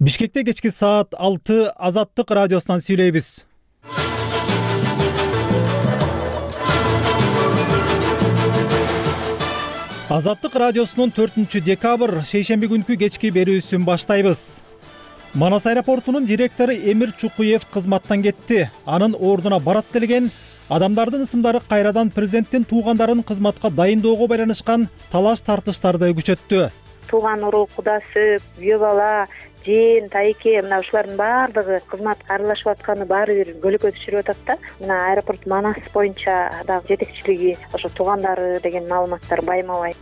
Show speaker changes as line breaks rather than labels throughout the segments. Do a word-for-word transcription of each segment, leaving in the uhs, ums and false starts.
Бишкекте кечки саат алты Азаттык радиосунан сүйлөйбүз. Азаттык радиосунун төртүнчү декабрь шейшемби күнкү кечки берүүсүн баштайбыз. Манас аэропортунун директору Эмир Чукуев кызматтан кетти. Анын ордуна барат делген адамдардын ысымдары кайрадан президенттин туугандарын кызматка дайындоого байланышкан талаш тартыштарды күчөттү.
Тууган урук, кудасы, күйөө бала, жээн, тайке мына ушулардын баардыгы кызматка аралашып атканы баары бир бөлөккө түшүрүп атат да. Мына аэропорт Манас боюнча дагы жетекчилиги ошо туугандары деген маалыматтар байма-бай.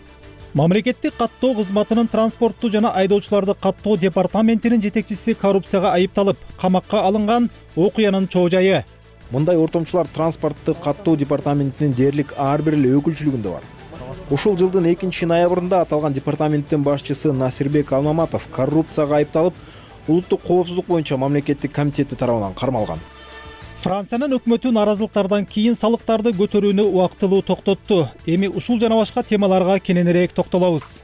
Мамлекеттик каттоо кызматынын транспортту жана айдоочуларды каттоо департаментинин жетекчиси коррупцияга айыпталып, камакка алынган окуянын чоо жайы.
Мындай ортомчулар транспортту каттоо департаментинин дээрлик ар бир эле өкүлчүлүгүндө бар. Ушул жылдын экинчи ноябрында аталган департаменттин башчысы Насирбек Алмаматов коррупцияга айыпталып, улуттук коопсуздук боюнча мамлекеттик комитети тарабынан кармалган.
Франциянын өкмөтү наразылыктардан кийин салыктарды көтөрүүнү убактылуу токтотту. Эми ушул жана башка темаларга кененирээк токтолобуз.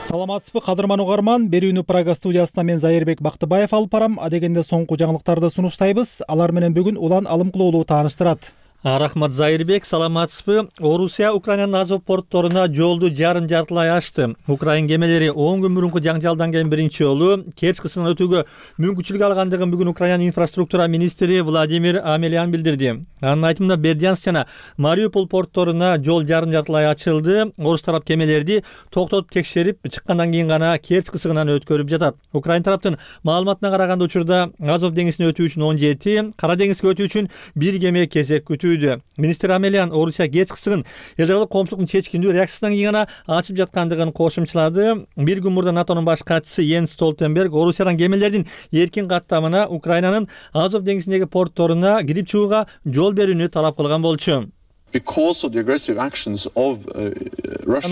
Саламатсызбы, кадырман угарман. Берүүнү Прага студиясында мен Зайырбек Бактыбаев алып барам. Адегенде соңку жаңылыктарды сунуштайбыз. Алар менен бүгүн Улан Алымкулоолу тааныштырат.
Рахмат Зайырбек, саламатсызбы? Орусия Украинанын Азов портторуна жолду жарым жартылай ачты. Украин кемелери он күн мурунку жаңжалдан кийин биринчи жолу Керчь кысынан өтүүгө мүмкүнчүлүк алгандыгын бүгүн Украинанын инфраструктура министри Владимир Амелян билдирди. Анын айтымында Бердянск жана Мариуполь портторуна жол жарым жартылай ачылды. Орус тарап кемелерди токтотуп текшерип чыккандан кийин гана Керчь кысыгынан өткөрүп жатат. Украин тараптын маалыматына караганда учурда Азов деңизине өтүү үчүн он жети, Кара деңизге өтүү үчүн бир кеме кезек күтүү. Министр Амелян Орусия Керчь кысыгын эл жагылык коомчулуктун чечкиндүү реакциясынан кийин гана ачып жаткандыгын кошумчалады. Бир күн мурда НАТОнун баш катчысы Йенс Столтенберг Орусиядан кемелердин эркин каттамына Украинанын Азов деңизиндеги портторуна кирип чыгууга жол берүүнү талап кылган болчу.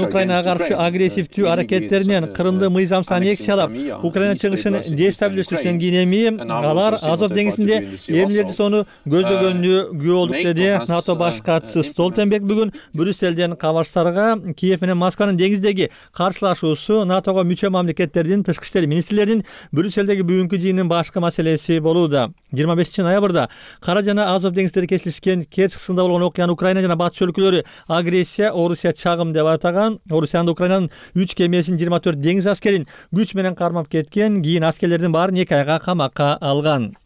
Украинага каршы агрессивдүү аракеттеринен Крымды мыйзамсыз аннексиялап, Украина чыгышын дестабилиздештирүүдөн кийин эми алар Азов деңизинде эмнелерди сону көздөгөнүнө күбө болдук деди НАТО баш катчысы Столтенберг бүгүн Брюссельден кабарчыларга. Киев менен Москванын деңиздеги каршылашуусу НАТОго мүчө мамлекеттердин тышкы иштер министрлеринин Брюссельдеги бүгүнкү жыйынынын башкы маселеси болууда. жыйырма бешинчи ноябрда Кара жана Азов деңиздери кесилишкен Керчь кысыгында болгон окуяны Украина жана батыш өлкөлөрү агрессия, Орусия чагым деп атаган. Орусиянын Украинанын үч кемесин жыйырма төрт деңиз аскерин күч менен кармап кеткен. Кийин аскерлердин баарын эки айга камакка алган.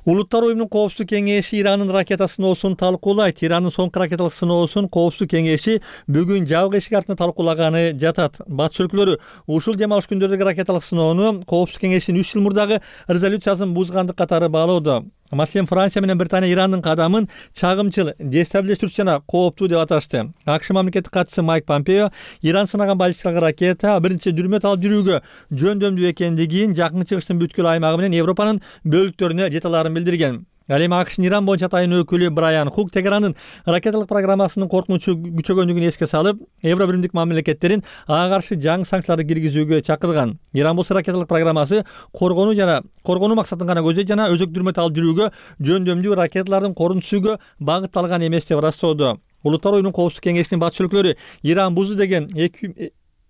Улуттар уюмунун коопсуздук кеңеши Ирандын ракета сыноосун талкуулайт. Ирандын соңку ракеталык сыноосун коопсуздук кеңеши бүгүн жабык эшик артында талкуулаганы жатат. Батыш өлкөлөрү ушул дем алыш күндөрдөгү ракеталык сыноону коопсуздук кеңешинин үч жыл мурдагы резолюциясын бузгандык катары баалоодо. Маселен, Франция менен Британия Ирандын кадамын чагымчыл, дестабилиздештирүүчү жана кооптуу деп аташты. АКШ мамлекеттик катчысы Майк Помпео Иран сынаган баллистикалык ракета биринчи дүрмөт алып жүрүүгө жөндөмдүү экендигин, жакын чыгыштын бүткүл аймагы менен Европанын бөлүктөрүнө жете аларын билдирген. Ал эми АКШнын Иран боюнча атайын өкүлү Брайан Хук Тегерандын ракеталык программасынын коркунучу күчөгөндүгүн эске салып, Евро биримдик мамлекеттерин ага каршы жаңы санкцияларды киргизүүгө чакырган. Иран болсо ракеталык программасы коргонуу жана коргонуу максатын гана көздөйт жана өзөк дүрмөт алып жүрүүгө жөндөмдүү ракеталардын корун түзүүгө багытталган эмес деп ырастоодо. Улуттар уюмунун коопсуздук кеңешинин батыш өлкөлөрү Иран бузду деген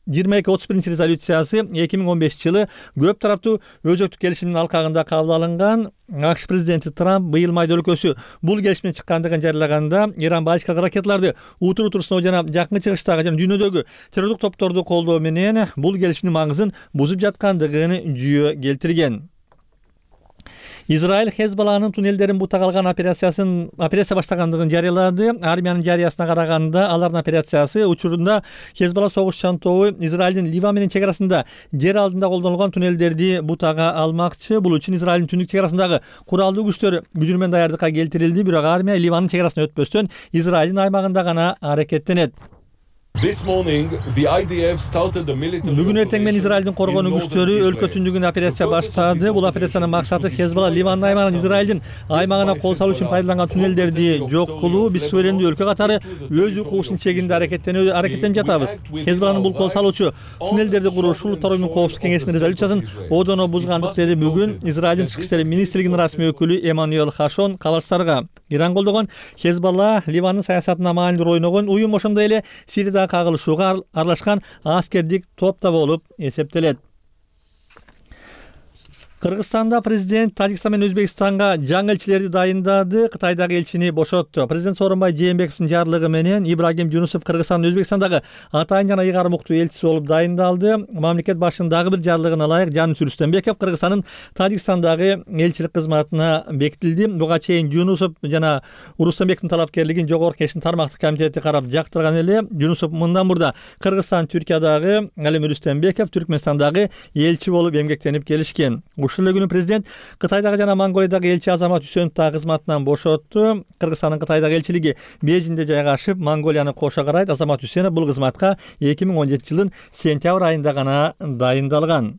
жыйырма эки отуз биринчи резолюциясы эки миң он бешинчи жылы көп тараптуу өзөктүк келишимдин алкагында кабыл алынган. АКШ президенти Трамп быйыл майда өлкөсү бул келишимден чыккандыгын жарыялаганда Иран баллистикалык ракеталарды утур-утур сыноо жана жакын чыгыштагы жана дүйнөдөгү террорлук топторду колдоо менен бул келишимдин маңызын бузуп жаткандыгын жүйө келтирген. Израиль Хезболланын туннелдерин бутак алган операциясын операция баштагандыгын жарыялады. Армиянын жарыясына караганда алардын операциясы учурунда Хезболла согушчан тобу Израилдин Ливан менен чек арасында жер алдында колдонулган туннелдерди бутага алмакчы. Бул үчүн Израилдин түндүк чек арасындагы куралдуу күчтөр күнү менен даярдыкка келтирилди. Бирок армия Ливандын чек арасына өтпөстөн Израилдин аймагында гана аракеттенет. Бүгүн эртең менен Израилдин коргонуу күчтөрү өлкө түндүгүндө операция баштады. Бул операциянын максаты Хезболла Ливандын аймагынан Израилдин аймагына кол салуу үчүн пайдаланган туннелдерди жок кылуу. Биз суверендүү өлкө катары өз укугубуздун чегинде аракеттенүү аракеттенип жатабыз. Хезболланын бул кол салуучу туннелдерди курушу Улуттар уюмунун коопсуздук кеңешинин резолюциясын одоно бузгандык деди бүгүн Израилдин тышкы иштер министрлигинин расмий өкүлү Эммануэль Хашон кабарчыларга. Иран колдогон Хезболла Ливандын саясатына маанилүү роль ойногон уюм, ошондой эле Сириядагы кагылышууга аралашкан аскердик топ да болуп эсептелет. Кыргызстанда президент Тажикстан менен Өзбекстанга жаңы элчилерди дайындады, Кытайдагы элчини бошотту. Президент Сооронбай Жээнбековдун жарлыгы менен Ибрагим Жунусов Кыргызстандын Өзбекстандагы атайын жана ыйгарым уктуу элчиси болуп дайындалды. Мамлекет башчынын дагы бир жарлыгына ылайык Жанис Рүстөмбеков Кыргызстандын Тажикстандагы элчилик кызматына бекитилди. Буга чейин Жунусов жана Рустембековдун талапкерлигин Жогорку Кеңештин тармактык комитети карап жактырган эле. Жунусов мындан мурда Кыргызстан Түркиядагы, ал эми Рүстөмбеков Түркмөнстандагы элчи болуп эмгектенип келишкен. Ушул эле күнү президент Кытайдагы жана Монголиядагы элчи Азамат Үсөновду кызматынан бошотту. Кыргызстандын Кытайдагы элчилиги Бейжиңде жайгашып, Монголияны кошо карайт. Азамат Үсөнов бул кызматка эки миң он жетинчи жылдын сентябрь айында гана дайындалган.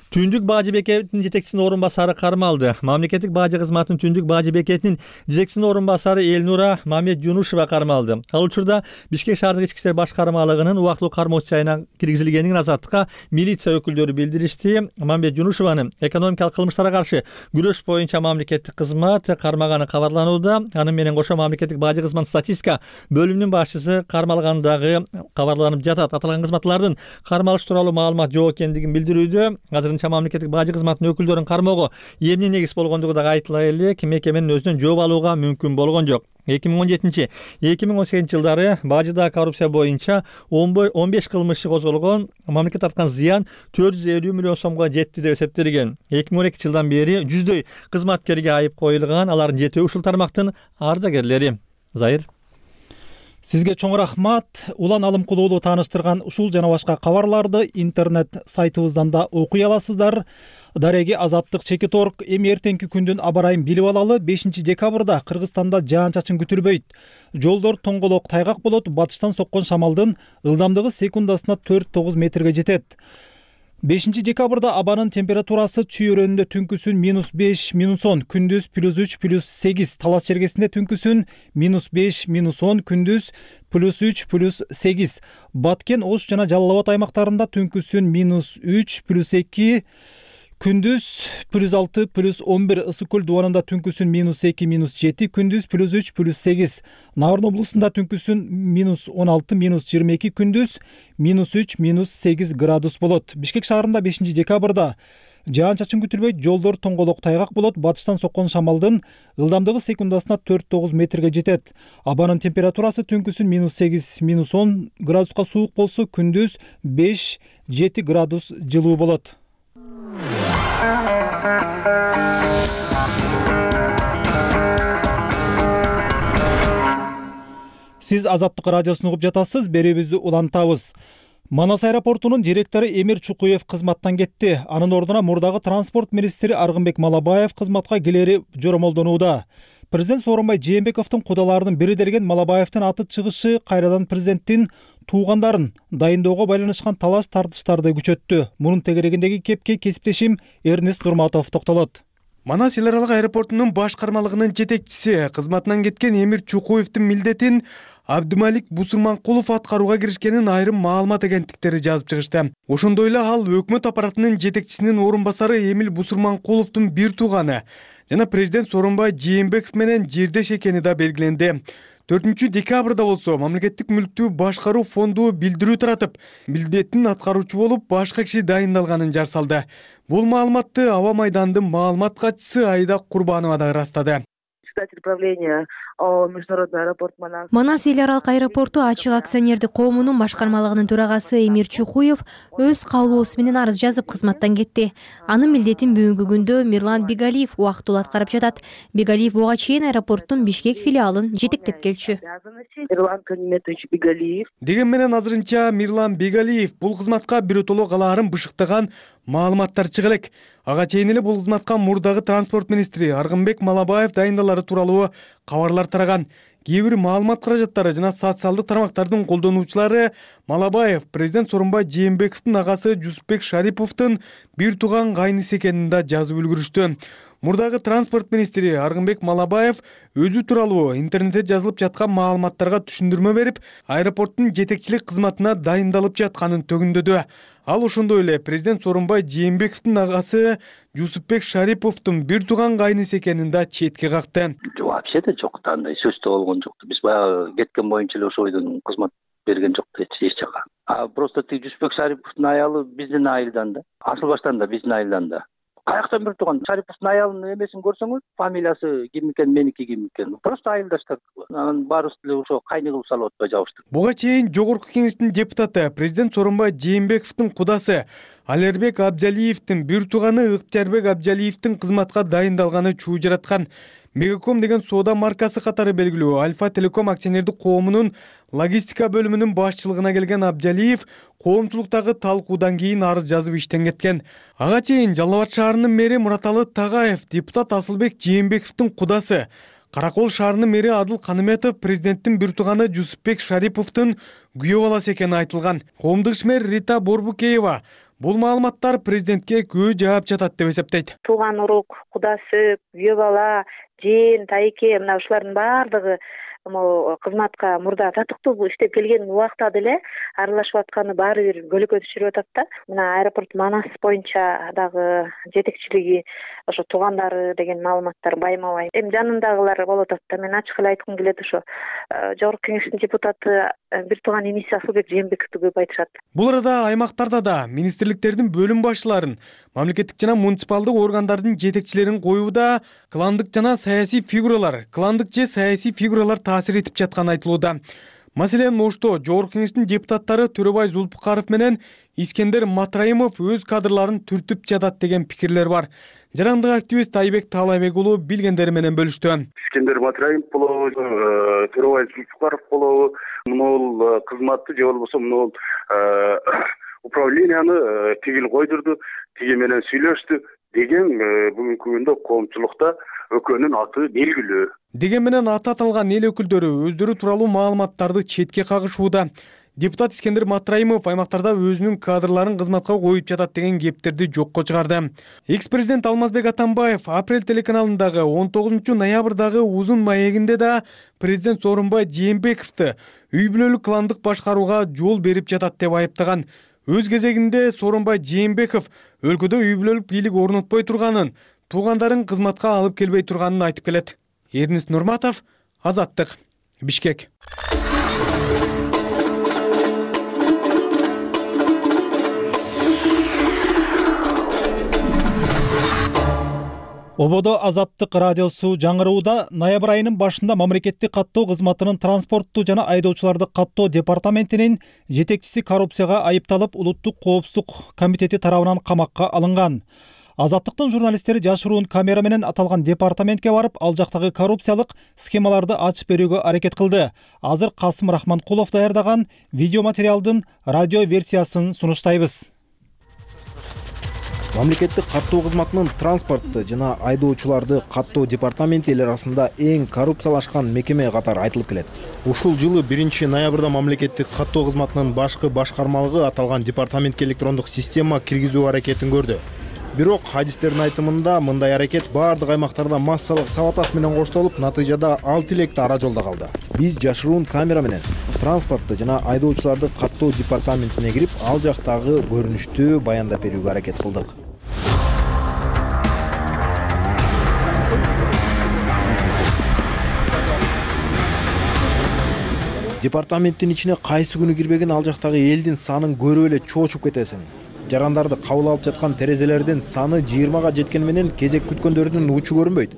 Түндүк бажы бекетинин жетекчисинин орун басары кармалды. Мамлекеттик бажы кызматынын Түндүк бажы бекетинин жетекчисинин орун басары Элнура Мамед Жунушева кармалды. Ал учурда Бишкек шаардык ички иштер башкармалыгынын убактылуу кармоочу жайына киргизилгенин азаттыкка милиция өкүлдөрү билдиришти. Мамед Жунушеваны экономикалык кылмыштарга каршы күрөш боюнча мамлекеттик кызмат кармаганы кабарланууда. Аны менен кошо мамлекеттик бажы кызматынын статистика бөлүмүнүн башчысы кармалгандагы кабарланып жатат. Аталган кызматлардын кармалыш тууралуу маалымат жок экендигин билдирүүдө. Азыр мамлекеттик бажы кызматынын өкүлдөрүн кармоого эмне негиз болгондугу да айтыла элек, мекеменин өзүнөн жооп алууга мүмкүн болгон жок. эки миң он жетинчи эки миң он сегизинчи жылдары бажыдагы коррупция боюнча он беш кылмыш козголгон, мамлекет тарткан зыян төрт жүз элүү миллион сомго жетти деп эсептелген. эки миң он экинчи жылдан бери жүздөй кызматкерге айып коюлган, алардын жетөө ушул тармактын ардагерлери. Зайыр.
Сизге чоң рахмат. Улан Алымкулуулу тааныштырган ушул жана башка кабарларды интернет сайтыбыздан да окуй аласыздар. Дареги Азаттык чекит точка орг. Эми эртеңки күндүн аба ырайын билип алалы. бешинчи декабрда Кыргызстанда жаан-чачын күтүлбөйт. Жолдор тоңголок тайгак болот. Батыштан соккон шамалдын ылдамдыгы секундасына төрт тогуз метрге жетет. бешинчи декабрда абанын температурасы Чүй өрөөнүндө түнкүсүн минус беш, минус он, күндүз плюс үч, плюс сегиз, Талас чергесинде түнкүсүн минус беш, минус он, күндүз плюс үч, плюс сегиз, Баткен, Ош жана Жалал Абад аймактарында түнкүсүн минус үч, плюс эки, күндүз плюс алты, плюс он бир, Ысык көл дубанында түнкүсүн минус эки, минус жети, күндүз плюс үч, плюс сегиз, Нарын облусунда түнкүсүн минус он алты, минус жыйырма эки, күндүз минус үч, минус сегиз градус болот. Бишкек шаарында бешинчи декабрда жаан-чачын күтүлбөйт, жолдор тоңголок тайгак болот, батыштан соккон шамалдын ылдамдыгы секундасына төрт тогуз метрге жетет. Абанын температурасы түнкүсүн минус сегиз, минус он градуска суук болсо, күндүз беш, жети градус жылуу болот. Сиз Азаттык радиосун угуп жатасыз, берүүбүздү улантабыз. Манас аэропортунун директору Эмир Чукуев кызматтан кетти. Анын ордуна мурдагы транспорт министри Аргынбек Малабаев кызматка келери жоромолдонууда. Президент Сооронбай Жээнбековдун кудаларынын бири делген Малабаевдин аты чыгышы кайрадан президенттин туугандарын дайындоого байланышкан талаш тартыштарды күчөттү. Мунун тегерегиндеги кепке кесиптешим Эрнест Нурматов токтолот.
Манас эл аралык аэропортунун башкармалыгынын жетекчиси кызматынан кеткен Эмир Чукуевдин милдетин Абдымалик Бусурманкулов аткарууга киришкенин айрым маалымат агенттиктери жазып чыгышты. Ошондой эле ал өкмөт аппаратынын жетекчисинин орун басары Эмил Бусурманкуловдун бир тууганы жана президент Сооронбай Жээнбеков менен жирдеш экени да белгиленди. төртүнчү декабрда болсо мамлекеттик мүлктү башкаруу фонду билдирүү таратып, милдетин аткаруучу болуп башка киши дайындалганын жар салды. Бул маалыматты Аба майдандын маалымат катчысы Айда Курбанова да ырастады.
Управления международный аэропорт Манас.
Манас эл аралык аэропорту ачык акционердик коомунун башкармалыгынын төрагасы Эмир Чукуев өз каулоосу менен арыз жазып кызматтан кетти. Анын милдетин бүгүнкү күндө Мирлан Бигалиев убактылуу аткарып жатат. Бигалиев буга чейин аэропорттун Бишкек филиалын жетектеп келчү.
Мирлан Калиметович Бигалиев.
Деген менен азырынча Мирлан Бигалиев бул кызматка биротоло калаарын бышыктаган маалыматтар чыга элек. Ага чейин эле бул кызматка мурдагы транспорт министри Аргынбек Малабаев дайындалары тууралуу кабарлар тараган. Кээ бир маалымат каражаттары жана социалдык тармактардын колдонуучулары Малабаев президент Сооронбай Жээнбековдун агасы Жусупбек Шариповдун бир тууган кайнысы экенин да жазып үлгүрүштү. Мурдагы транспорт министри Аргынбек Малабаев өзү тууралуу интернетте жазылып жаткан маалыматтарга түшүндүрмө берип, аэропорттун жетекчилик кызматына дайындалып жатканын төгүндөдү. Ал ошондой эле президент Сооронбай Жээнбековдун агасы Жусупбек Шариповдун бир тууган кайнысы экенин да четке какты.
Вообще-то жок, андай сөз да болгон жок. Биз баягы кеткен боюнча эле ошол бойдон кызмат берген жок эч жака. А просто тиги Жусупбек Шариповдун аялы биздин айылдан да. Асыл баштан да биздин айылдан да. Каяктан бир тууган Шариповдун аялынын эмесин көрсөңүз, фамилиясы ким экен, меники ким экен. Просто айылдаштар. Анан баарыбыз деле ошо кайны кылып салып атпай жабыштык.
Буга чейин Жогорку Кеңештин депутаты президент Сооронбай Жээнбековдун кудасы Алербек Абжалиевдин бир тууганы Ыктыярбек Абжалиевдин кызматка дайындалганы чуу жараткан. Мегаком деген соода маркасы катары белгилүү Альфа Телеком акционердик коомунун логистика бөлүмүнүн башчылыгына келген Абжалиев коомчулуктагы талкуудан кийин арыз жазып иштен кеткен. Ага чейин Жалал Абад шаарынын мэри Мураталы Тагаев, депутат Асылбек Жээнбековдун кудасы, Каракол шаарынын мэри Адыл Каныметов президенттин бир тууганы Жусупбек Шариповдун күйөө баласы экени айтылган. Коомдук ишмер Рита Борбукеева бул маалыматтар президентке күбө жаап жатат деп эсептейт.
Тууган урук, кудасы, күйөө бала, жин, тайке мына ушулардын баардыгы могу кызматка мурда татыктуу иштеп келген убакта деле аралашып атканы баары бир көлөкө түшүрүп атат да. Мына аэропорт Манас боюнча дагы жетекчилиги ошо туугандары деген маалыматтар байма-бай. Эми жанындагылар болуп атат да. Мен ачык эле айткым келет, ошо Жогорку Кеңештин депутаты бир тууган иниси Асылбек Жээнбековду көп айтышат.
Бул арада аймактарда да министрликтердин бөлүм башчыларын, мамлекеттик жана муниципалдык органдардын жетекчилерин коюуда кландык жана саясий фигуралар, кландык же саясий фигуралар таасир этип жатканы айтылууда. Маселен, Ошто Жогорку Кеңештин депутаттары Төрөбай Зулпукаров менен Искендер Матраимов өз кадрларын түртүп жатат деген пикирлер бар. Жарандык активист Айбек Таалайбек уулу билгендери менен бөлүштү.
Искендер Матраимов болобу, Төрөбай Зулпукаров болобу, мынул кызматты же болбосо мынул управленияны тигил койдурду, тиги менен сүйлөштү деген бүгүнкү күндө коомчулукта өкөнүн аты белгилүү.
Деген менен аты аталган эл өкүлдөрү өздөрү тууралуу маалыматтарды четке кагышууда. Депутат Искендер Матраимов аймактарда өзүнүн кадрларын кызматка коюп жатат деген кептерди жокко чыгарды. Экс-президент Алмазбек Атамбаев Апрель телеканалындагы он тогузунчу ноябрдагы узун маегинде да президент Сооронбай Жээнбековду үй бүлөлүк кландык башкарууга жол берип жатат деп айыптаган. Өз кезегинде Сооронбай Жээнбеков өлкөдө үй бүлөлүк бийлик орнотпой турганын, туугандарын кызматка алып келбей турганын айтып келет. Эрнис Нурматов, Азаттык, Бишкек.
Ободо Азаттык радиосу жаңырууда ноябрь айынын башында мамлекеттик каттоо кызматынын транспортту жана айдоочуларды каттоо департаментинин жетекчиси коррупцияга айыпталып улуттук коопсуздук комитети тарабынан камакка алынган. Азаттыктын журналисттери жашыруун камера менен аталган департаментке барып, ал жактагы коррупциялык схемаларды ачып берүүгө аракет кылды. Азыр Касым Рахманкулов даярдаган видео материалдын радио версиясын сунуштайбыз.
Мамлекеттик каттоо кызматынын транспортты жана айдоочуларды каттоо департаменти эл арасында эң коррупциялашкан мекеме катары айтылып келет. Ушул жылы биринчи ноябрда мамлекеттик каттоо кызматынын башкы башкармалыгы аталган департаментке электрондук система киргизүү аракетин көрдү. Бирок адистердин айтымында мындай аракет баардык аймактарда массалык саботаж менен коштолуп, натыйжада алты электе ара жолдо калды. Биз жашыруун камера менен транспортты жана айдоочуларды каттоо департаментине кирип, ал жактагы көрүнүштү баяндап берүүгө аракет кылдык. Департаменттин ичине кайсы күнү кирбеген ал жактагы элдин санын көрүп эле чоочуп кетесиң. Жарандарды кабыл алып жаткан терезелердин саны жыйырмага жеткени менен кезек күткөндөрдүн учу көрүнбөйт.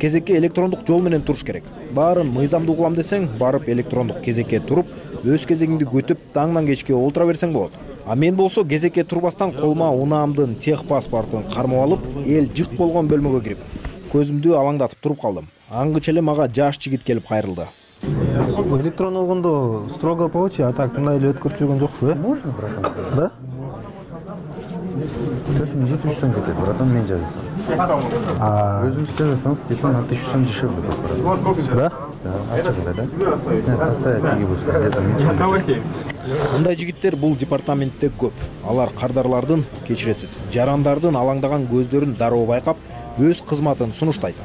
Кезекке электрондук жол менен туруш керек. Баарын мыйзамдуу кылам десең, барып электрондук кезекке туруп, өз кезегиңди күтүп, таңдан кечке олтура берсең болот. А мен болсо кезекке турбастан колума унаамдын тех паспортун кармап алып, эл жык болгон бөлмөгө кирип, көзүмдү алаңдатып туруп калдым. Аңгыча эле мага жаш жигит келип кайрылды.
Электрон болгондо строго по очи, а так мындай эле өткөрүп жүргөн жокпу, э? Можно, братан? Да? төрт миң жети жүз сом кетет, братан, мен жазасам. А өзүңүз жазасаңыз, типа на тысячу сом дешевле будет. Да? Да, ачык эле, да? Снять поставить, киги будет, где-то меньше.
Мындай жигиттер бул департаментте көп. Алар кардарлардын, кечиресиз, жарандардын алаңдаган көздөрүн дароо байкап, өз кызматын сунуштайт.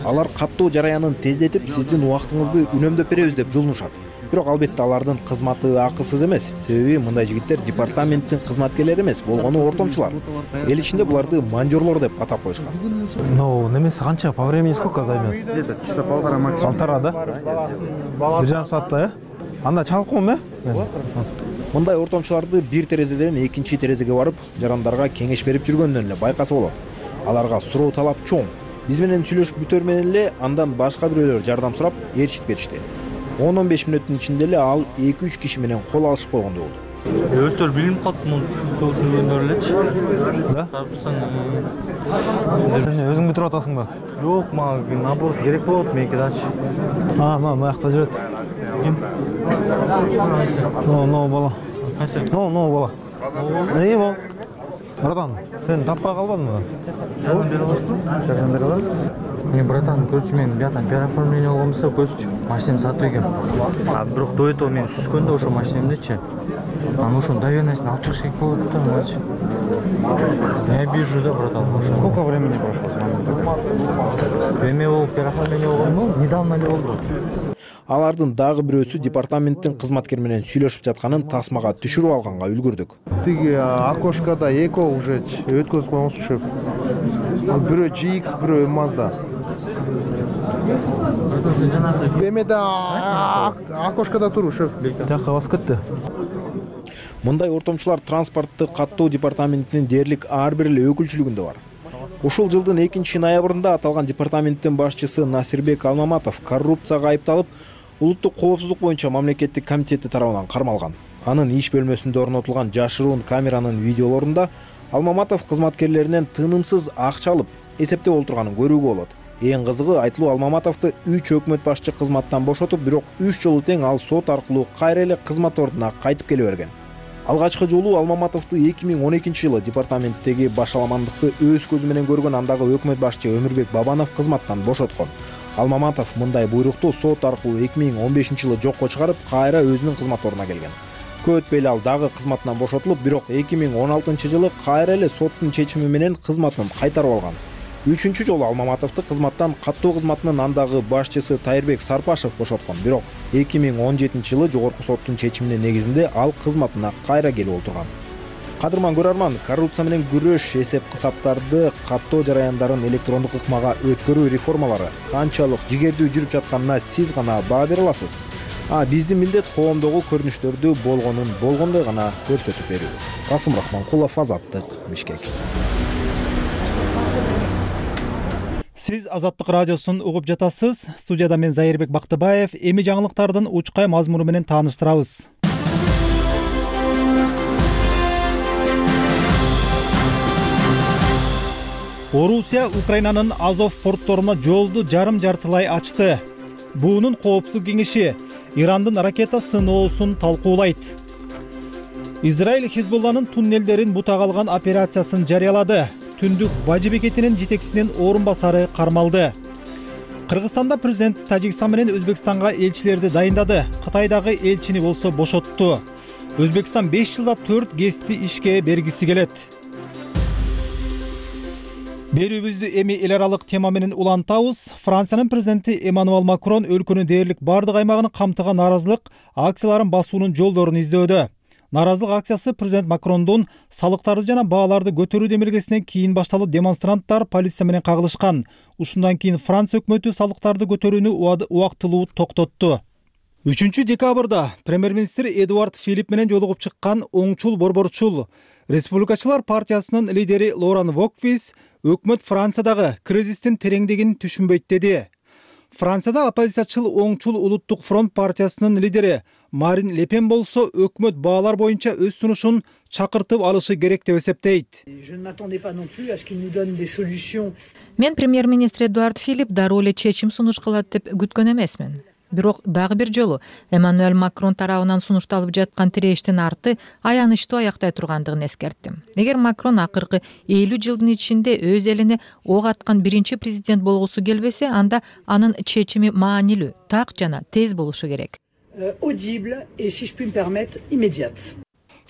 Алар каттоо жараянын тездетип, сиздин убактыңызды үнөмдөп беребиз деп жулунушат. Бирок албетте алардын кызматы акысыз эмес. Себеби мындай жигиттер департаменттин кызматкерлери эмес, болгону ортомчулар. Эл ичинде буларды мандёрлор деп атап коюшкан.
Ну, немеси канча? По времени сколько займет?
Где-то часа полтора максимум.
Полтора, да? Бир жарым саатта, э? Анда чалып коем, э?
Мындай ортомчуларды бир терезеден экинчи терезеге барып, жарандарга кеңеш берип жүргөндөн эле байкаса болот. Аларга суроо талап чоң. Биз менен сүйлөшүп бүтөр менен эле андан башка бирөөлөр жардам сурап ээрчитип беришти. он он беш мүнөттүн ичинде эле ал эки үч киши менен кол алышып койгондой болду.
Өздөрү билинип калыптыр муну түшүнгөндөр элечи. Да? Сен өзүң бүтүрүп атасыңбы?
Жок, мага наоборот керек болот меники дачы.
А, мына мыякта жүрөт. Ким? Но, но бала. Кайсы? Но, но бала. Эмне бол? Братан, сен таппай калбадыңбы?
Жардам бере аласызбы? Жардам бере алам. Мен братан, көрчү мен биятан переоформление болгонбузда көзчү машинамды сатып ийгем. А бирок до этого мен сүзгөндө ошо машинамдычы. Анан ошонун доверенностун алып чыгыш керек болот да, мачы. Я вижу, да, братан. Сколько времени прошло? Время болуп переоформление болгонбу? Недавно эле болду.
Алардын дагы бирөөсү департаменттин кызматкери менен сүйлөшүп жатканын тасмага түшүрүп алганга үлгүрдүк.
Тиги окошкада эко уже өткөзүп койгонсуз шеф. Бирөө джи икс, бирөө Mazda. Эмеде окошкада туруп шеф.
Жакка басып кетти.
Мындай ортомчулар транспортты каттоо департаментинин дээрлик ар бир эле өкүлчүлүгүндө бар. Ушул жылдын экинчи ноябрында аталган департаменттин башчысы Насирбек Алмаматов коррупцияга айыпталып, улуттук коопсуздук боюнча мамлекеттик комитети тарабынан кармалган. Анын иш бөлмөсүндө орнотулган жашыруун камеранын видеолорунда Алмаматов кызматкерлеринен тынымсыз акча алып, эсептеп отурганын көрүүгө болот. Эң кызыгы, айтылуу Алмаматовду үч өкмөт башчы кызматтан бошотуп, бирок үч жолу тең ал сот аркылуу кайра эле кызмат ордуна кайтып келе берген. Алгачкы жолу Алмаматовду эки миң он экинчи жылы департаменттеги башаламандыкты өз көзү менен көргөн андагы өкмөт башчы Өмүрбек Бабанов кызматтан бошоткон. Алмаматов мындай буйрукту сот аркылуу эки миң он бешинчи жылы жокко чыгарып, кайра өзүнүн кызмат ордуна келген. Көп өтпөй эле ал дагы кызматынан бошотулуп, бирок эки миң он алтынчы жылы кайра эле соттун чечими менен кызматын кайтарып алган. Үчүнчү жолу Алмаматовду кызматтан каттоо кызматынын андагы башчысы Тайырбек Сарпашев бошоткон, бирок эки миң он жетинчи жылы жогорку соттун чечиминин негизинде ал кызматына кайра келип отурган. Кадырман көрөрман, коррупция менен күрөш, эсеп-кысаптарды, каттоо жараяндарын электрондук ыкмага өткөрүү реформалары канчалык жигердүү жүрүп жатканына сиз гана баа бере аласыз. А биздин милдет коомдогу көрүнүштөрдү болгонун болгондой гана көрсөтүп берүү. Касым Рахманкулов, Азаттык, Бишкек.
Сиз Азаттык радиосун угуп жатасыз. Студияда мен Зайырбек Бактыбаев. Эми жаңылыктардын учкай мазмуну менен тааныштырабыз. Орусия Украинанын Азов портторуна жолду жарым жартылай ачты. Буунун коопсуздук кеңеши Ирандын ракета сыноосун талкуулайт. Израиль Хизбулланын туннелдерин бутага алган операциясын жарыялады. Түндүк бажы бекетинин жетекчисинин орун басары кармалды. Кыргызстанда президент Тажикстан менен Өзбекстанга элчилерди дайындады. Кытайдагы элчини болсо бошотту. Өзбекстан беш жылда төрт гезитти ишке бергиси келет. Берүүбүздү эми эл аралык тема менен улантабыз. Франциянын президенти Эммануэль Макрон өлкөнүн дээрлик бардык аймагын камтыган нааразылык акцияларын басуунун жолдорун издөдө. Нааразылык акциясы президент Макрондун салыктарды жана бааларды көтөрүү демилгесинен кийин башталып, демонстранттар полиция менен кагылышкан. Ушундан кийин Франция өкмөтү салыктарды көтөрүүнү убактылуу токтотту. үчүнчү декабрда премьер-министр Эдуард Филипп менен жолугуп чыккан оңчул борборчул Республикачылар партиясынын лидери Лоран Вокфис өкмөт Франциядагы кризистин тереңдигин түшүнбөйт деди. Францияда оппозициячыл оңчул улуттук фронт партиясынын лидери Марин Ле Пен болсо өкмөт баалар боюнча өз сунушун чакыртып алышы керек деп эсептейт.
Мен премьер-министр Эдуард Филипп дароо эле чечим сунуш кылат деп күткөн эмесмин. Бирок дагы бир жолу Эммануэль Макрон тарабынан сунушталып жаткан тирештин арты аянычтуу аяктай тургандыгын эскерттим. Эгер Макрон акыркы элүү жылдын ичинде өз элине ок аткан биринчи президент болгусу келбесе, анда анын чечими маанилүү, так жана тез болушу керек.
audible et, si je puis me permettre, immédiate.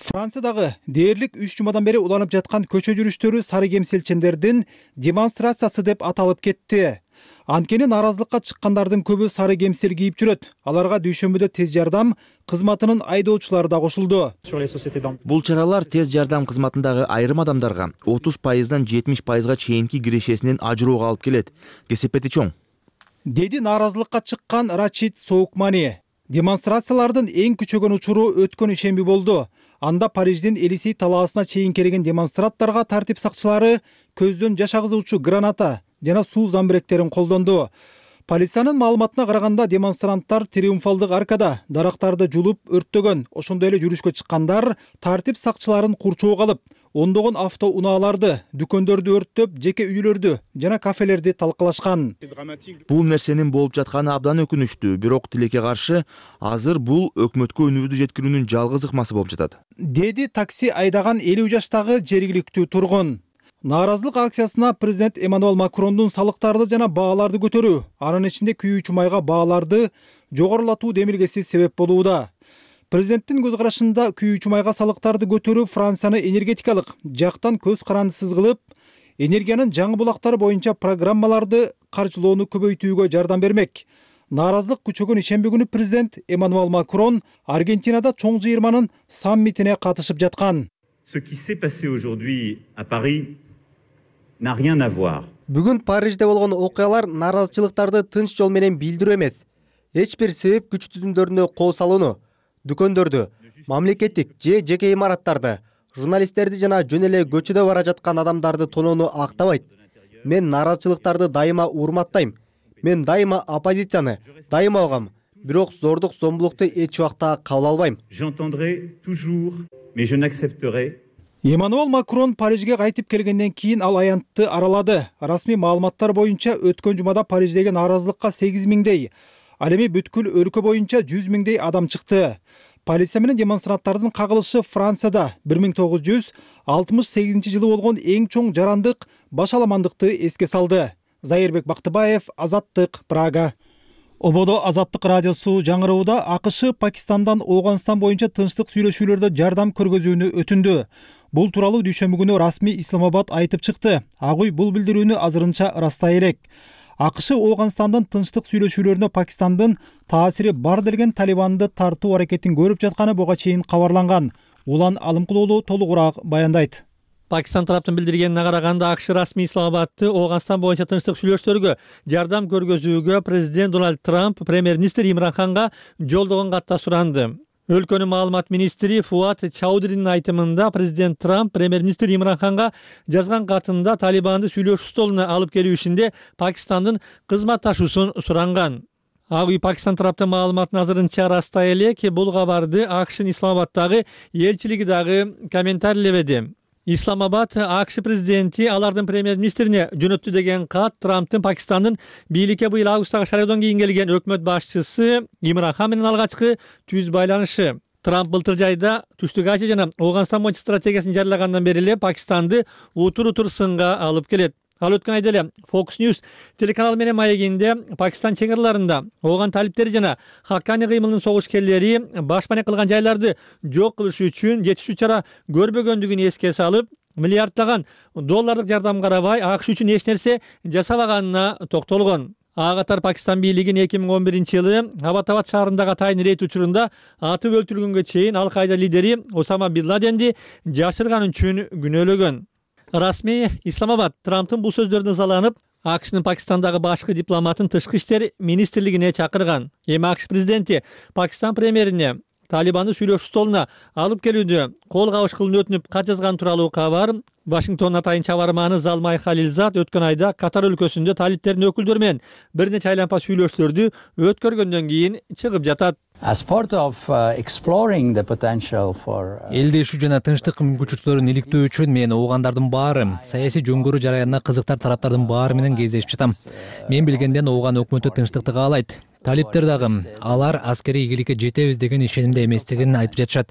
Франциядагы дээрлик үч жумадан бери уланып жаткан көчө жүрүштөрү сары кемселчендердин демонстрациясы деп аталып кетти. Анткени нааразылыкка чыккандардын көбү сары кемсел кийип жүрөт. Аларга дүйшөмбүдө тез жардам кызматынын айдоочулары да кошулду.
Бул чаралар тез жардам кызматындагы айрым адамдарга отуз пайыздан жетимиш пайызга чейинки кирешесинен ажыроого алып келет. Кесепети чоң.
Деди нааразылыкка чыккан Рачид Соукмани. Демонстрациялардын эң күчөгөн учуру өткөн ишемби болду. Анда Париждин Элисей талаасына чейин келген демонстранттарга тартип сакчылары көздөн жаш агызуучу граната жана суу замбиректерин колдонду. Полициянын маалыматына караганда демонстранттар Триумфалдык аркада дарактарды жулуп өрттөгөн. Ошондой эле жүрүшкө чыккандар тартип сакчыларын курчоого алып, ондогон автоунааларды, дүкөндөрдү өрттөп, жеке үйлөрдү жана кафелерди талкалашкан.
Бул нерсенин болуп жатканы абдан өкүнүчтүү, бирок тилекке каршы азыр бул өкмөткө үнүбүздү жеткирүүнүн жалгыз ыкмасы болуп жатат.
Деди такси айдаган элүү жаштагы жергиликтүү тургун. Нааразылык акциясына президент Эммануэл Макрондун салыктарды жана бааларды көтөрүү, анын ичинде күйүүчү майга бааларды жогорулатуу демилгеси себеп болууда. Президенттин көз карашында күйүүчү майга салыктарды көтөрүү Францияны энергетикалык жактан көз карандысыз кылып, энергиянын жаңы булактары боюнча программаларды каржылоону көбөйтүүгө жардам бермек. Нааразылык күчөгөн ишемби күнү президент Эммануэл Макрон Аргентинада чоң жыйырманын саммитине катышып жаткан.
Ce qui s'est passé aujourd'hui à Paris n'a rien à voir.
Бүгүн Парижде болгон окуялар нааразычылыктарды тынч жол менен билдирүү эмес. Эч бир себеп күч түзүмдөрүнө кол салууну, дүкөндөрдү, мамлекеттик же жеке имараттарды, журналисттерди жана жөн эле көчөдө бара жаткан адамдарды тоноону актабайт. Мен нааразычылыктарды дайыма урматтайм. Мен дайыма оппозицияны дайыма угам, бирок зордук зомбулукту эч убакта кабыл албайм.
J'entendrai toujours, mais je n'accepterai.
Эммануэл Макрон Парижге кайтып келгенден кийин ал аянтты аралады. Расмий маалыматтар боюнча өткөн жумада Париждеги нааразылыкка сегиз миңдей, ал эми бүткүл өлкө боюнча жүз миңдей адам чыкты. Полиция менен демонстранттардын кагылышы Францияда бир миң тогуз жүз алтымыш сегизинчи жылы болгон эң чоң жарандык башаламандыкты эске салды. Зайырбек Бактыбаев, Азаттык, Прага. Ободо Азаттык радиосу жаңырууда АКШ Пакистандан Ооганстан боюнча тынчтык сүйлөшүүлөрдө жардам көргөзүүнү өтүндү. Бул тууралуу дүйшөмбү күнү расмий Исламабад айтып чыкты. Ак үй бул билдирүүнү азырынча ырастай элек. АКШ Ооганстандын тынчтык сүйлөшүүлөрүнө Пакистандын таасири бар делген Талибанды тартуу аракетин көрүп жатканы буга чейин кабарланган. Улан Алымкулуулу толугураак баяндайт.
Пакистан тараптын билдиргенине караганда АКШ расмий Исламабадты Ооганстан боюнча тынчтык сүйлөшүүлөргө жардам көргөзүүгө президент Дональд Трамп премьер-министр Имран Ханга жолдогон катта суранды. Өлкөнүн маалымат министри Фуат Чаудыринин айтымында президент Трамп премьер-министр Имран Ханга жазган катында Талибанды сүйлөшүү столуна алып келүү ишинде Пакистандын кызматташуусун суранган. Ак үй Пакистан тараптын маалыматын азырынча ырастай элек, бул кабарды АКШнын Исламабаддагы элчилиги дагы комментарийлебеди. Исламабад АКШ президенти алардын премьер-министрине жөнөттү деген кат Трамптын Пакистандын бийликке быйыл августтагы шайлоодон кийин келген өкмөт башчысы Имран Хан менен алгачкы түз байланышы. Трамп былтыр жайда Түштүк Азия жана Ооганстан боюнча стратегиясын жарыялагандан бери эле Пакистанды утур-утур сынга алып келет. Ал өткөн айда эле Fox News телеканалы менен маегинде Пакистан чек араларында ооган талиптери жана Хаккани кыймылынын согушкерлери башпана кылган жайларды жок кылыш үчүн жетиштүү чара көрбөгөндүгүн эске салып, миллиарддаган доллардык жардам карабай АКШ үчүн эч нерсе жасабаганына токтолгон. Ага катар Пакистан бийлигин эки миң он биринчи жылы Абатабад шаарындагы атайын рейд учурунда атып өлтүрүлгөнгө чейин Ал-Каида лидери Осама Бин Ладенди жашырган үчүн күнөөлөгөн. Расмий Исламабад Трамптын бул сөздөрүнө ызаланып, АКШнын Пакистандагы башкы дипломатын тышкы иштер министрлигине чакырган. Эми АКШ президенти Пакистан премьерине Талибанды сүйлөшүү столуна алып келүүдө кол кабышкылын өтүнүп кат жазган тууралуу кабар Вашингтондун атайын чабарманы Залмай Халилзад өткөн айда Катар өлкөсүндө талиптердин өкүлдөрү менен бир нече айланпа сүйлөшүүлөрдү өткөргөндөн кийин чыгып жатат.
As part of uh, exploring the potential for
элдешүү жана тынчтык мүмкүнчүлүктөрүн иликтөө үчүн мен оогандардын баары, саясий жөнгөрүү жараянына кызыктар тараптардын баары менен кездешип жатам. Мен билгенден ооган өкмөтү тынчтыкты каалайт. талиптер дагы алар аскерий ийгиликке жетебиз деген ишенимде эместигин айтып жатышат.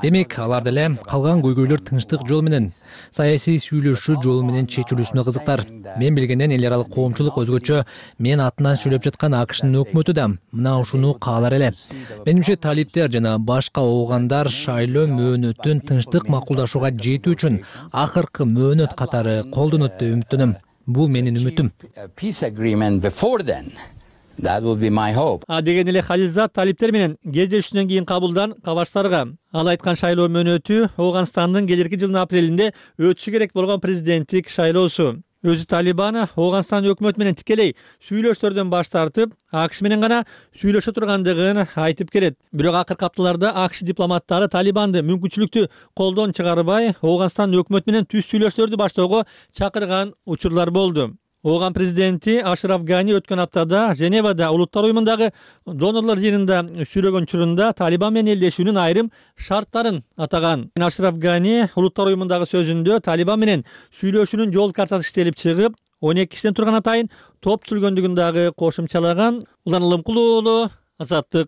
Демек, алар деле калган көйгөйлөр тынчтык жол менен, саясий сүйлөшүү жолу менен чечилүүсүнө кызыктар. Мен билгенден эл аралык коомчулук өзгөчө мен атынан сүйлөп жаткан АКШнын өкмөтү да мына ушуну каалар эле. Менимче талиптер жана башка оогандар шайлоо мөөнөтүн тынчтык макулдашууга жетүү үчүн акыркы мөөнөт катары колдонот деп үмүттөнөм. Бул менин үмүтүм.
That would be my hope.
А деген эле Халилзат талиптер менен кездешүүнөн кийин кабылдан кабарчтарга ал айткан шайлоо мөөнөтү Ооганстандын келерки жылдын апрелинде өтүшү керек болгон президенттик шайлоосу. Өзү Талибан Ооганстан өкмөтү менен тикелей сүйлөштөрдөн баш тартып, АКШ менен гана сүйлөшө тургандыгын айтып келет. Бирок акыркы апталарда АКШ дипломаттары Талибанды мүмкүнчүлүктү колдон чыгарбай, Ооганстан өкмөтү менен түз сүйлөштөрдү баштоого чакырган учурлар болду. Ооган президенти Ашраф Гани өткөн аптада Женевада Улуттар уюмундагы донорлор жыйынында сүйлөгөн учурунда Талибан менен элдешүүнүн айрым шарттарын атаган. Ашраф Гани Улуттар уюмундагы сөзүндө Талибан менен сүйлөшүүнүн жол картасы иштелип чыгып, он эки кишиден турган атайын топ түзүлгөндүгүн дагы кошумчалаган. Улан Улумкул уулу, Азаттык.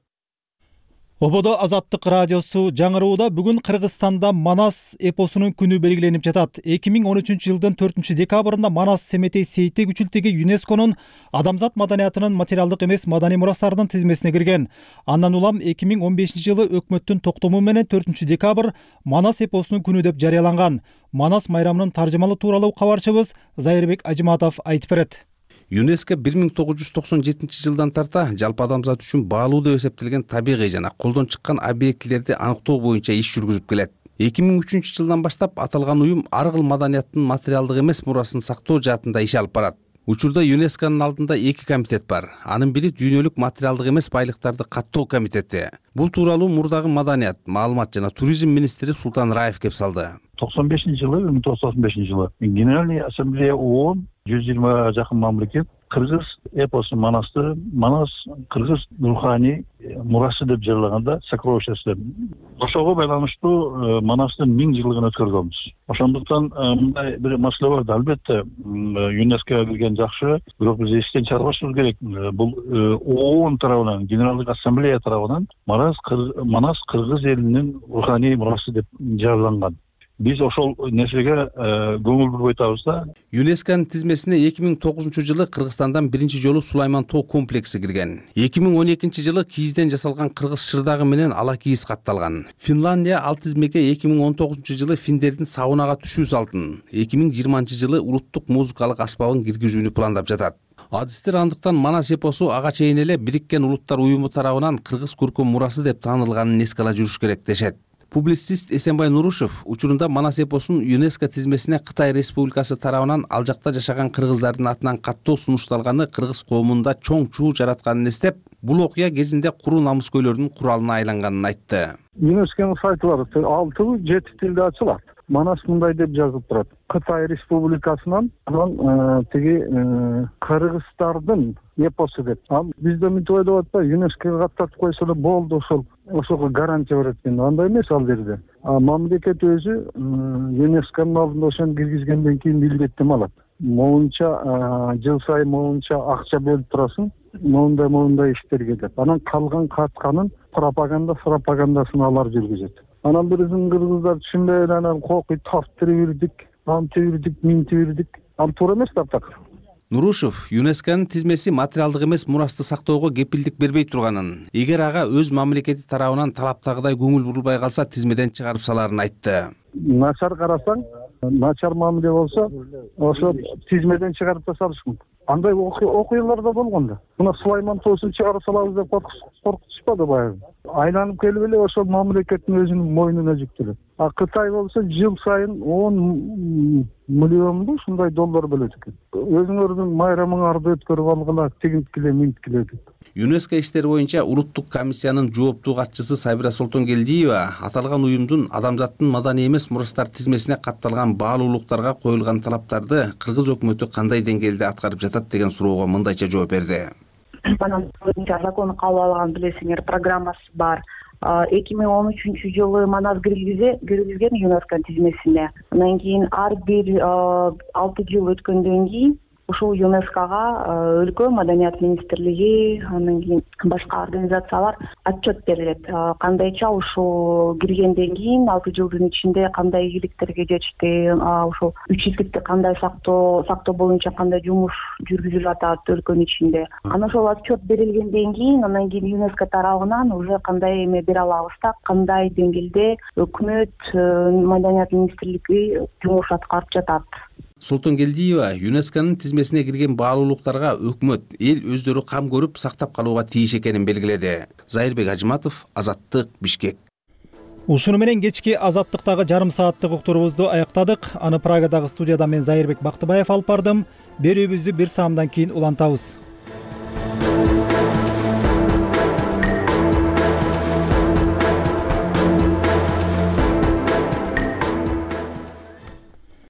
Ободо Азаттык радиосу жаңырууда бүгүн Кыргызстанда Манас эпосунун күнү белгиленип жатат. эки миң он үчүнчү жылдын төртүнчү декабрында Манас Семетей Сейтек үчүлтүгү ЮНЕСКОнун адамзат маданиятынын материалдык эмес маданий мурастарынын тизмесине кирген. Андан улам эки миң он бешинчи жылы өкмөттүн токтому менен төртүнчү декабрь Манас эпосунун күнү деп жарыяланган. Манас майрамынын таржымалы тууралуу кабарчыбыз Зайырбек Ажыматов айтып берет.
ЮНЕСКО бир миң тогуз жүз токсон жетинчи жылдан тарта жалпы адамзат үчүн баалуу деп эсептелген табигый жана колдон чыккан объектилерди аныктоо боюнча иш жүргүзүп келет. эки миң үчүнчү жылдан баштап аталган уюм ар кыл маданияттын материалдык эмес мурасын сактоо жаатында иш алып барат. Учурда ЮНЕСКонун алдында эки комитет бар. Анын бири дүйнөлүк материалдык эмес байлыктарды каттоо комитети. Бул тууралуу мурдагы маданият, маалымат жана туризм министри Султан Раев кеп салды.
токсон бешинчи жылы, бир миң тогуз жүз токсон бешинчи жылы Генеральный ассамблея ООН жүз жыйырмага жакын мамлекет кыргыз эпосу Манасты Манас кыргыз руханий мурасы деп жарыялаганда сокровищество. Ошого байланыштуу Манастын миң жылдыгын өткөргөнбүз. Ошондуктан мындай бир маселе бар. Албетте ЮНЕСКОга кирген жакшы, бирок биз эстен чыгарбашыбыз керек. Бул ООН тарабынан, Генералдык ассамблея тарабынан Манас кыргыз элинин руханий мурасы деп жарыяланган. Биз ошол нерсеге көңүл буруп атабыз да.
ЮНЕСКонун тизмесине эки миң тогузунчу жылы Кыргызстандан биринчи жолу Сулайман тоо комплекси кирген. эки миң он экинчи жылы кийизден жасалган кыргыз шырдагы менен ала кийиз катталган. Финландия ал тизмеге эки миң он тогузунчу жылы финдердин саунага түшүү салтын, эки миң жыйырманчы жылы улуттук музыкалык аспабын киргизүүнү пландап жатат. Адистер андыктан Манас эпосу ага чейин эле Бириккен Улуттар уюму тарабынан кыргыз көркөм мурасы деп таанылганын эске ала жүрүш керек дешет. Публицист Эсенбай Нурушев учурунда Манас эпосун ЮНЕСКО тизмесине Кытай Республикасы тарабынан ал жакта жашаган кыргыздардын атынан каттоо сунушталганы кыргыз коомунда чоң чуу жаратканын эстеп, бул окуя кезинде куру намыскөйлөрдүн куралына айланганын айтты.
ЮНЕСКонун сайты бар, алты жети тилде ачылат. Манас мындай деп жазылып турат. Кытай Республикасынан анан тиги кыргыздардын эпосу деп. Бизде мынтип ойлоп атпайбы, ЮНЕСКОга каттатып койсо эле болду, ошол ошого гарантия берет экен. Андай эмес ал жерде. А мамлекет өзү ЮНЕСКонун алдында ошону киргизгенден кийин милдеттеме алат. Моунча жыл сайын моунча акча бөлүп турасың, моундай моундай иштерге деп. Анан калган катканын пропаганда пропагандасын алар жүргүзөт. Анан биризин кыргыздар түшүнбөй анан кокуй таптырып антибирдик, минтибирдик. Ал туура эмес таптакыр.
Нурушев ЮНЕСКонун тизмеси материалдык эмес мурасты сактоого кепилдик бербей турганын, эгер ага өз мамлекети тарабынан талаптагыдай көңүл бурулбай калса тизмеден чыгарып саларын айтты.
Начар карасаң, начар мамиле болсо, ошо тизмеден чыгарып да салыш мүмкүн. Андай окуялар да болгон да. Мына Сулайман тоосун чыгарып салабыз деп коркутушпады баягы. Айланып келип эле ошол мамлекеттин өзүнүн мойнуна жүктөлөт. А Кытай болсо жыл сайын он миллионду ушундай доллар бөлөт экен. Өзүңөрдүн майрамыңарды өткөрүп алгыла, тигинткиле, минткиле деп.
ЮНЕСКО иштери боюнча улуттук комиссиянын жооптуу катчысы Сайбира Солтонгелдиева аталган уюмдун адамзаттын маданий эмес мурастар тизмесине катталган баалуулуктарга коюлган талаптарды кыргыз өкмөтү кандай деңгээлде аткарып жатат деген суроого мындайча жооп берди.
Анан закону кабыл алган билесиңер программасы бар. эки миң он үчүнчү жылы Манас киргизген ЮНЕСКо тизмесине. Андан кийин ар бир алты жыл өткөндөн кийин ушул юнеского өлкө маданият министрлиги анан кийин башка организациялар отчет берилет. Кандайча ушул киргенден кийин алты жылдын ичинде кандай ийгиликтерге жетишти, ушул үчүздүктү кандай сактоо сактоо боюнча кандай жумуш жүргүзүлүп атат өлкөнүн ичинде. Анан ошол отчет берилгенден кийин анан кийин ЮНЕСКО тарабынан уже кандай эме бере алабыз да, кандай деңгээлде өкмөт маданият министрлиги жумуш аткарып жатат.
Солтонгелдиева ЮНЕСКОнун тизмесине кирген баалуулуктарга өкмөт, эл өздөрү кам көрүп сактап калууга тийиш экенин белгиледи. Зайырбек Ажыматов, Азаттык, Бишкек.
Ушуну менен кечки Азаттыктагы жарым сааттык уктурубузду аяктадык. Аны Прагадагы студияда мен Зайырбек Бактыбаев алып бардым. Берүүбүздү бир саамдан кийин улантабыз.